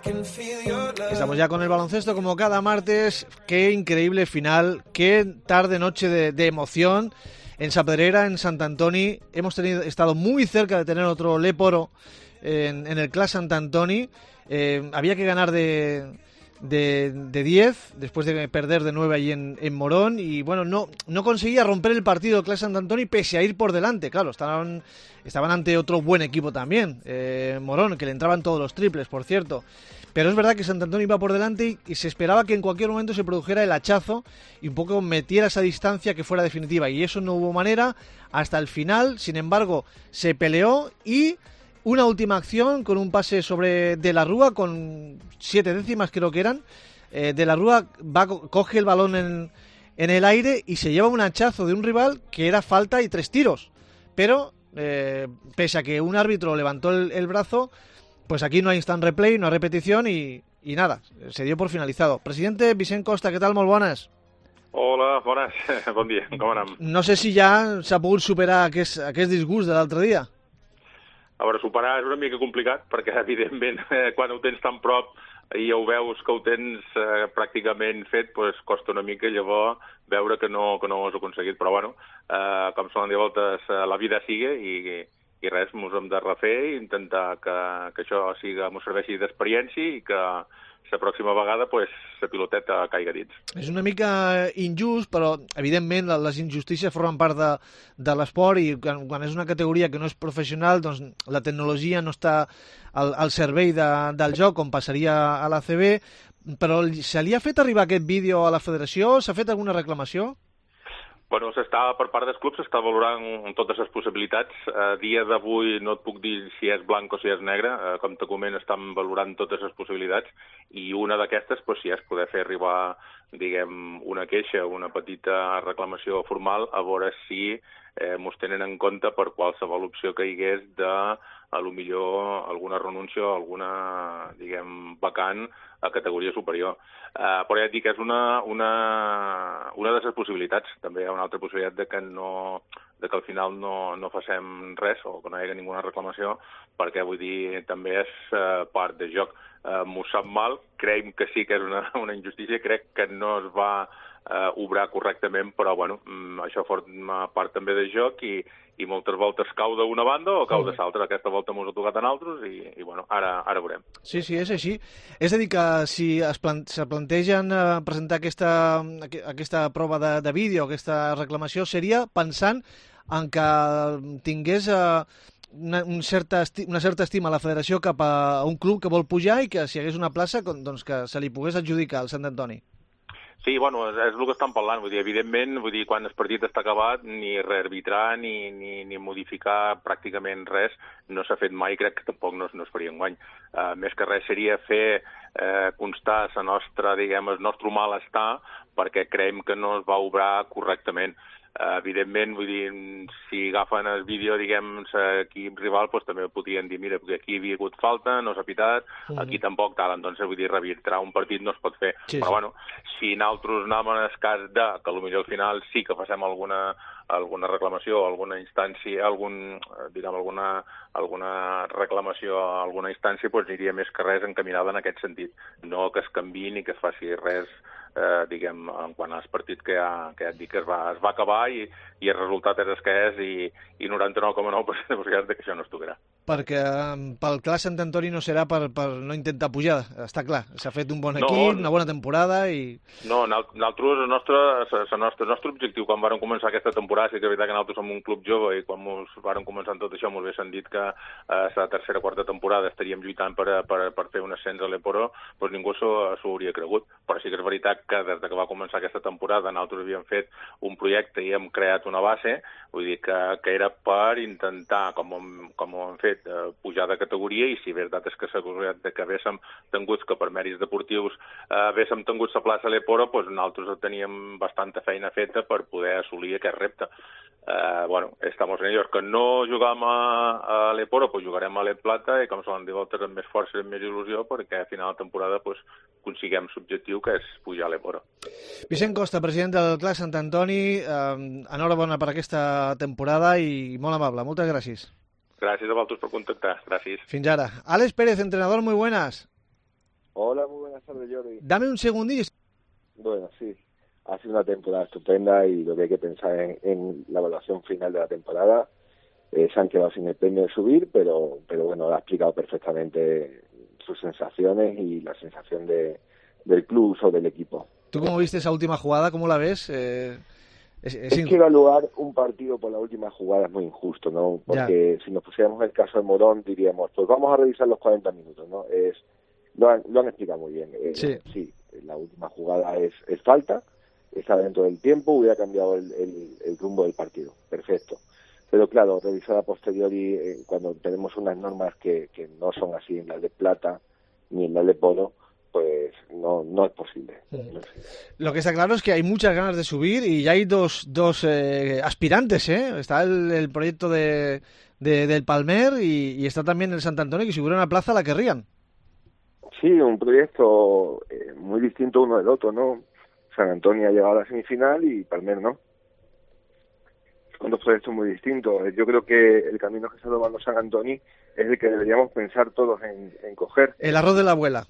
Estamos ya con el baloncesto como cada martes. Qué increíble final, qué tarde-noche de emoción en Sa Pedrera, en Sant Antoni. Hemos estado muy cerca de tener otro Léporo en el Clas Sant Antoni. Había que ganar de 10 después de perder de 9 allí en Morón, y bueno, no conseguía romper el partido el Clas Sant Antoni pese a ir por delante. Claro, estaban ante otro buen equipo también, Morón, que le entraban todos los triples, por cierto. Pero es verdad que Sant Antoni iba por delante y se esperaba que en cualquier momento se produjera el hachazo y un poco metiera esa distancia que fuera definitiva, y eso no hubo manera hasta el final. Sin embargo, se peleó y una última acción con un pase sobre De la Rúa con 7 décimas creo que eran. De la Rúa coge el balón en el aire y se lleva un hachazo de un rival que era falta y 3 tiros. Pero pese a que un árbitro levantó el brazo, pues aquí no hay instant replay, no hay repetición y nada, se dio por finalizado. Presidente Vicent Costa, què tal? Molt bones. Hola, bones. Bon dia, com anem? No sé si ja s'ha pogut superar aquest disgust de l'altre dia. A veure, superar és una mica complicat, perquè evidentment quan ho tens tan prop i ja ho veus que ho tens pràcticament fet, doncs costa una mica llavors veure que no ho has aconseguit. Però bueno, com solen dir a voltes, la vida sigue i res, ens hem de refer i intentar que això ens serveixi d'experiència i que la pròxima vegada la piloteta caiga dins. És una mica injust, però evidentment les injustícies formen part de l'esport, i quan és una categoria que no és professional, doncs la tecnologia no està al servei del joc, com passaria a l'ACB. Però se li ha fet arribar aquest vídeo a la federació? S'ha fet alguna reclamació? Bueno, per part dels clubs s'està valorant totes les possibilitats. A dia d'avui no et puc dir si és blanc o si és negre. Com te comento, estan valorant totes les possibilitats, i una d'aquestes, si és poder fer arribar, diguem, una queixa, una petita reclamació formal, a veure si ens tenen en compte per qualsevol opció que hi hagués de, a lo millor, alguna renúncia o alguna, diguem, vacant a categoria superior. Però ja et dic que és una de les possibilitats. També hi ha una altra possibilitat de que al final no facem res o que no hi hagi ninguna reclamació, perquè, vull dir, també és part del joc. M'ho sap mal, creiem que sí que és una injustícia, crec que no es va obrar correctament, però bueno, això forma part també del joc i moltes voltes cau d'una banda o cau de l'altra. Aquesta volta ens ha tocat a nosaltres i bueno, ara veurem. Sí, és així. És a dir, que si se plantegen presentar aquesta prova de vídeo, aquesta reclamació, seria pensant en que tingués una certa estima a la federació cap a un club que vol pujar i que si hi hagués una plaça, doncs que se li pogués adjudicar al Sant Antoni. Sí, bueno, és el que estan parlant. Vull dir, evidentment, quan el partit està acabat, ni rearbitrar ni modificar pràcticament res no s'ha fet mai, crec que tampoc no es faria enguany. Més que res seria fer constar el nostre malestar, perquè creiem que no es va obrar correctament. Evidentment, vull dir, si agafen el vídeo, diguem, l'equip rival, doncs també podrien dir, mira, aquí hi havia hagut falta, no s'ha pitat, aquí tampoc tal, doncs, vull dir, rearbitrar un partit no es pot fer. Sí. Però, bueno, si nosaltres anem en el cas que potser al final sí que facem alguna reclamació, alguna instància, alguna reclamació a alguna instància, doncs aniria més que res encaminada en aquest sentit. No que es canviï ni que es faci res, diguem, en quant als partits que ja et dic que es va acabar i el resultat és el que és i 99,9% de possibilitats que això no es tocarà. Perquè pel Clas Sant Antoni no serà per no intentar pujar, està clar. S'ha fet un bon equip, una bona temporada i... No, nosaltres, el nostre objectiu quan vàrem començar aquesta temporada, sí que és veritat que nosaltres som un club jove i quan vàrem començar tot això ens haguessin dit que la tercera o quarta temporada estaríem lluitant per fer un ascens a l'Eporo, doncs ningú s'ho hauria cregut. Però sí que és veritat que des que va començar aquesta temporada nosaltres havíem fet un projecte i hem creat una base, vull dir que era per intentar, com ho hem fet, pujar de categoria, i si veritat és que s'ha aconseguit que haguéssim tingut que per mèrits deportius haguéssim tingut la plaça a l'Eporo, doncs nosaltres teníem bastanta feina feta per poder assolir aquest repte. Bueno, estamos en ellos. Que no jugam a l'Eporo, pues jugarem a l'Ep Plata i com solen dir voltes amb més força i amb més il·lusió perquè a final de temporada pues consiguem l'objectiu que és pujar a l'Eporo. Vicent Costa, president del Clas Sant Antoni, enhorabona per aquesta temporada i molt amable. Moltes gràcies. Gràcies a vosaltres per contactar. Gràcies. Fins ara. Àlex Pérez, entrenador, muy buenas. Hola, muy buenas tardes, Jordi. Dame un segundillo. Bueno, sí, ha sido una temporada estupenda y lo que hay que pensar en la evaluación final de la temporada. Se han quedado sin el premio de subir, pero bueno, ha explicado perfectamente sus sensaciones y la sensación del club o del equipo. ¿Tú cómo viste esa última jugada? ¿Cómo la ves? Es que evaluar un partido por la última jugada es muy injusto, ¿no? Porque si nos pusiéramos el caso de Morón, diríamos, pues vamos a revisar los 40 minutos, ¿no? Lo han explicado muy bien. Sí, la última jugada es falta, está dentro del tiempo, hubiera cambiado el rumbo del partido. Perfecto. Pero claro, revisar a posteriori, cuando tenemos unas normas que no son así en la de plata ni en la de polo, pues no es posible. Lo que está claro es que hay muchas ganas de subir y ya hay dos aspirantes, ¿eh? Está el proyecto del Palmer y está también el Sant Antoni, que si hubiera una plaza la querrían. Sí, un proyecto muy distinto uno del otro, ¿no? Sant Antoni ha llegado a la semifinal y Palmer no. Son dos proyectos muy distintos. Yo creo que el camino que está tomando Sant Antoni es el que deberíamos pensar todos en coger. El arroz de la abuela.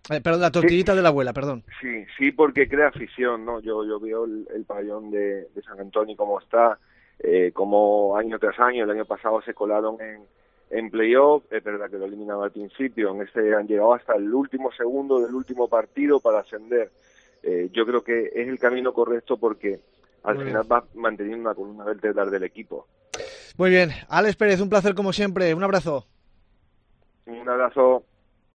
Perdón, la tortillita de la abuela, perdón. Sí, porque crea afición, ¿no? Yo veo el pabellón de Sant Antoni como está, como año tras año, el año pasado se colaron en playoff, es verdad que lo eliminaron al principio, en este han llegado hasta el último segundo del último partido para ascender. Yo creo que es el camino correcto porque al final va manteniendo una columna vertebral del equipo. Muy bien, Alex Pérez, un placer como siempre, un abrazo. Un abrazo.